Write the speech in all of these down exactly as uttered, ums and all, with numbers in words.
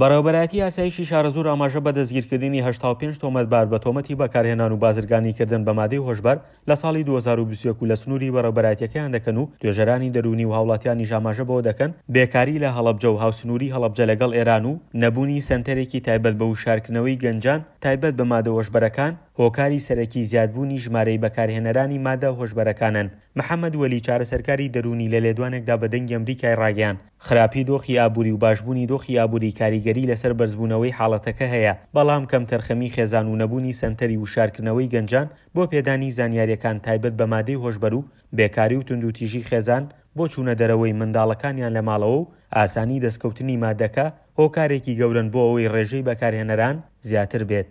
بەڕێوەبەرایەتی ئاسایشی شارەزوور ئاماژە بە دەستگیرکردنی هەشتا و پێنج تۆمەتبار بە تۆمەتی بەکارهێنان و بازرگانیکردن بە مادەی هۆشبەر لە ساڵی دوو هەزار و بیست و یەک و لە سنووری بەڕێوەبەرایەتیەکەیان دەکەن و توێژەرانی دەروونی و هاوڵاتیانیش ئاماژە بەوە دەکەن بێکاری لە هەڵەبجە و هاوسنووری هەڵەبجە لەگەڵ ئێران و نەبوونی سەنتەرێکی تایبەت بە وشارکردنەوەی گەنجان تایبەت بە مادە هۆشبەرەکان هۆکاری سەرەکی زیادبوونی ژمارەی بەکارهێنەرانی مادە هۆشبەرەکانن. محەممەد وەلی چارەسەرکاری دەروونی لە لێدوانێکدا بە دەنگی ئەمریکای ڕاگەیاند خراپی دۆخی ئابووری و باشبوونی دۆخی ئابووری کاریگەری لەسەر بەرزبوونەوەی حاڵەتەکە هەیە، بەڵام کەمتەرخەمی خێزان و نەبوونی سەنتەری وشارکردنەوەی گەنجان بۆ پێدانی زانیاریەکان تایبەت بە مادەی هۆشبەر و بێکاری و توندوتیژی خێزان بۆ چوونە دەرەوەی منداڵەکانیان لە ماڵەوە و ئاسانی دەستکەوتنی مادەکە هۆکارێکی گەورەن بۆ ئەوەی ڕێژەی بەکارهێنەران زیاتر بێت.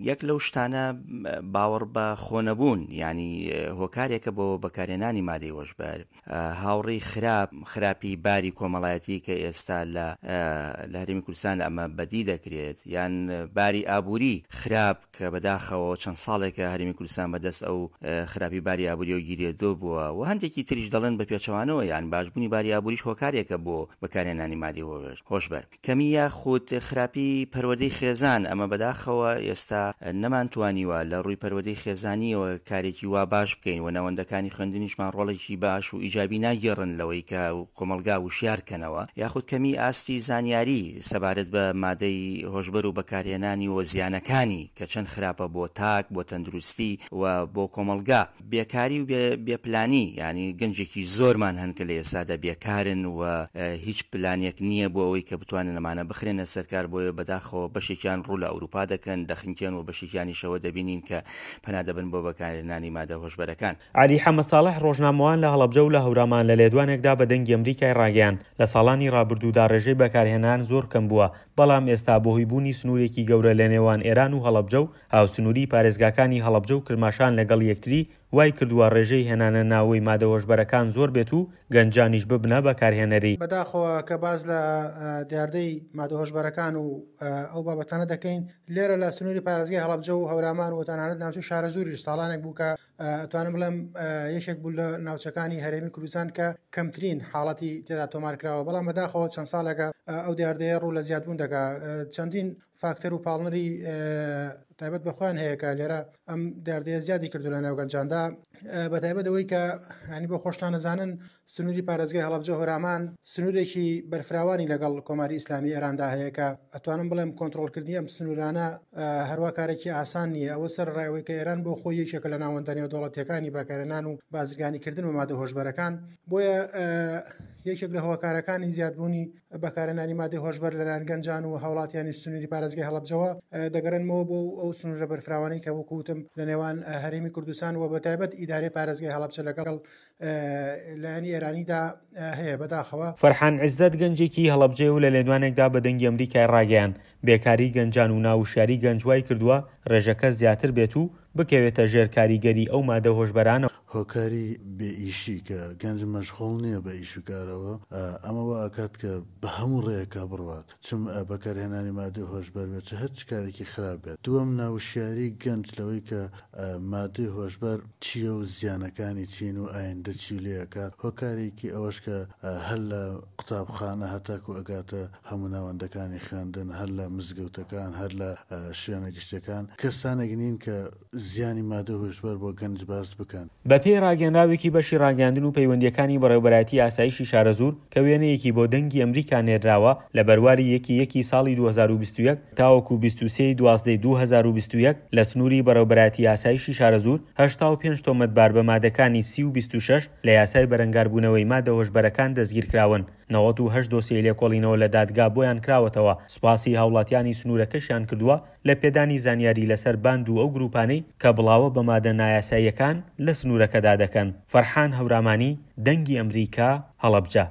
یەک لەو شتانە باوەڕ بە خۆنەبوون، ینی هۆکارێکە بۆ بەکارهێنانی مادەی هۆشبەر، هاوڕێی خراپ، خراپی باری کۆمەڵایەتی کە ئێستا لە لە هەرێمی کوردستان ئەمە بەدی دەکرێت، یان باری ئابووری خراپ کە بەداخەوە چەند ساڵێکە هەرێمی کوردستان بەدەست ئەو خراپی باری ئابووریەوە گیرێدۆ بووە و هەندێکی تریش دەڵێن بە پێچەوانەوە، یان باشبوونی باری ئابووریش هۆکارێکە بۆ بەکارهێنانی مادەی هۆشبەر. کەمی یاخود خراپی پەروەردەی خێزان، ئەمە بەداخەوە ئێستا نەمانتوانیوە لە ڕووی پەروەردەی خێزانیەوە کارێکی وا باش بکەین و ناوەندەکانی خوێندنیشمان ڕۆڵێکی باش و ئیجابی ناگێڕن لەوەی کە کۆمەڵگا وشیار کەنەوە، یاخود کەمی ئاستی زانیاری سەبارەت بە مادەی هۆشبەر و بەکارهێنانی و زیانەکانی کە چەند خراپە بۆ تاک، بۆ تەندروستی و بۆ کۆمەڵگا. بێکاری و بێپلانی، ینی گەنجێکی زۆرمان هەن کە لە ئێستادا بێکارن و هیچ پلانێک نییە بۆ ئەوەی کە بتوانن ئەمانە بخرێنە سەرکار، بۆیە بەداخەوە بەشێکیان ڕوو لە ئەوروپا دەکەن، دەخنکێن و بەشێکیانیشەوە دەبینین کە پەنا دەبن بۆ بەکارهێنانی مادە هۆشبەرەکان. عەلی حەمە ساڵح ڕۆژنامەوان لە هەڵەبجە و لە هەورامان لە لێدوانێکدا بە دەنگی ئەمریکای ڕاگەیاند لە ساڵانی ڕابردوودا ڕێژەی بەکارهێنان زۆر کەم بووە، بەڵام ئێستا بەهۆی بوونی سنوورێکی گەورە لە نێوان ئێران و هەڵەبجە و هاوسنووری پارێزگاکانی هەڵەبجە و کرماشان لەگەڵ یەکتری وای کردووە ڕێژەی هێنانە ناوەی مادە هۆشبەرەکان زۆر بێت و گەنجانیش ببنە بەکارهێنەری. بەداخەوە کە باز لە دیاردەی مادە هۆشبەرەکان و ئەو بابەتانە دەکەین لێرە لە سنووری پارێزگای هەڵەبجە و هەورامان و تەنانەت ناوچەی شارەزووریش ساڵانێک بوو کە ئەتوانم بڵێم یەکێک بوو لە ناوچەکانی هەرێمی کوردستان کە کەمترین حاڵەتی تێدا تۆمار کراوە، بەڵام بەداخەوە چەند ساڵێکە ئەو دیاردەیە ڕوو لە زیادبوون دەکا. چەندین فاکتەر و پاڵنەری تایبەت بە خۆیان هەیە کە لێرە ئەم دیاردەیە زیادی کردو لە ناو گەنجاندا، بە تایبەت ئەوەی کە ینی بۆ خۆشتان نەزانن سنووری پارێزگای هەڵەبجە هۆرامان سنوورێکی بەرفراوانی لەگەڵ کۆماری ئیسلامی ئێراندا هەیە کە ئەتوانم بڵێم کۆنترۆڵکردنی ئەم سنوورانە هەروە کارێکی ئاسان نییە. ئەوە سەر ڕایەوەی کە ئێران بۆ خۆی یەکێکە لە ناوەندە نێودەوڵەتیەکانی بەکارهێنان و بازرگانیکردن بە مادە هۆشبەرەکان، بۆیە یەکێک لە هۆکارەکانی زیادبوونی بەکارهێنانی مادەی هۆشبەر لەلایەن گەنجان و هاوڵاتیانی سنووری پارێزگای هەڵەبجەوە دەگەڕێنمەوە بۆ ئەو سنوورە بەرفراوانەی کە وەکو وتم لە نێوان هەرێمی کوردستان و بە تایبەت ئیدارەی پارێزگای هەڵەبجە لەگەڵ لایەنی ئێرانیدا هەیە. بەداخەوە فەرحان عیزەت گەنجێکی هەڵەبجەیە و لە لێدوانێکدا بە دەنگی ئەمریکای ڕاگەیاند بێکاری گەنجان و ناوشیاری گەنج وای کردووە ڕێژەکە زیاتر بێت و بکەوێتە ژێر کاریگەری ئەو مادە هۆشبەرانەوە. هۆکاری بێئیشی کە گەنج مەشغوڵ نییە بە ئیش و کارەوە، ئەمە وا ئەکات کە بە هەموو ڕێیەکا بڕوات، چم بەکارهێنانی مادەی هۆشبەر بێت چ هەرچ کارێکی خراپ بێت. دووەم ناوشیاری گەنج لەوەی کە مادەی هۆشبەر چییە و زیانەکانی چین و ئایندە چی لێ ئەکات. هۆکارێکی ئەوەش کە هەر لە قوتابخانە هەتاکو ئەگاتە هەموو ناوەندەکانی خوێندن، هەر لە مزگەوتەکان، هەر لە شوێنە گشتیەکان کەسانێک نین کە زیانی مادە هۆشبەر بۆ گەنج باس بکەن. بەپێی ڕاگەنراوێکی بەشی ڕاگەیاندن و پەیوەندیەکانی بەڕێوەبەرایەتی ئاسایشی شارەزوور کە وێنەیەکی بۆ دەنگی ئەمریکا نێردراوە لە بەرواری یەکی یەکی ساڵی دوو هەزار و بیست و یەک تاوەکو بیست و سێ دوازدەی دوو هەزار و بیست و یەک لە سنووری بەڕێوەبەرایەتی ئاسایشی شارەزوور هەشتا و پێنج تۆمەتبار بە مادەکانی سی و بیست و شەش لە یاسای بەرەنگاربوونەوەی مادە هۆشبەرەکان دەستگیرکراون. نەوەد و هەشت دۆسیەی لێکۆڵینەوە لە دادگا بۆیان کراوەتەوە. سوپاسی هاوڵاتیانی سنوورەکەشیان کردووە لە پێدانی زانیاری لەسەر باند و ئەو گروپانەی کە بڵاوە بە مادە نایاساییەکان لە سنوورەکەدا دەکەن. فەرحان هەورامانی، دەنگی ئەمریکا، هەڵەبجە.